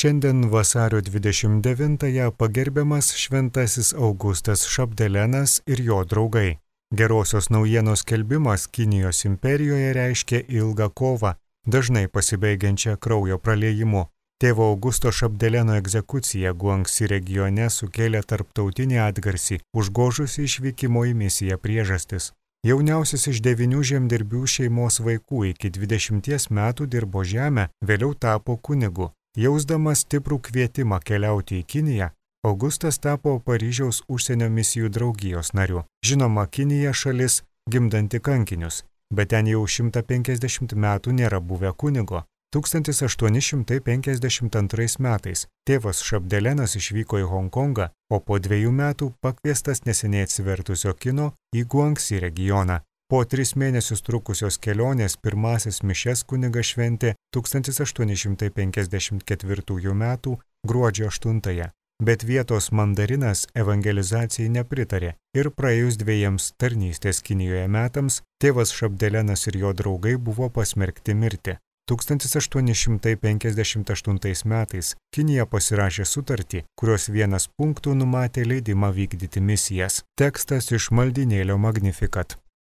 Šiandien vasario 29-ąją pagerbiamas šventasis Augustas Šabdelenas ir jo draugai. Gerosios naujienos skelbimas Kinijos imperijoje reiškia ilgą kovą, dažnai pasibaigiančią kraujo praliejimu. Tėvo Augusto Šabdeleno egzekucija Guangsi regione sukėlė tarptautinį atgarsį, užgožusi išvykimo į misiją priežastis. Jauniausias iš 9 žemdirbių šeimos vaikų iki 20 metų dirbo žemę, vėliau tapo kunigu. Jausdamas stiprų kvietimą keliauti į Kiniją, Augustas tapo Paryžiaus užsienio misijų draugijos nariu. Žinoma, Kinija šalis gimdanti kankinius, bet ten jau 150 metų nėra buvę kunigo. 1852 metais tėvas Šabdelenas išvyko į Honkongą, o po 2 metų pakviestas neseniai atsivertusio kino į Guangsi regioną. Po 3 mėnesius trukusios kelionės pirmasis mišias kunigas šventė 1854 metų gruodžio 8, bet vietos mandarinas evangelizacijai nepritarė ir praėjus 2 tarnystės Kinijoje metams tėvas Šabdelenas ir jo draugai buvo pasmerkti mirti. 1858 metais Kinija pasirašė sutartį, kurios vienas punktų numatė leidimą vykdyti misijas. Tekstas iš maldynėlio Magnificat.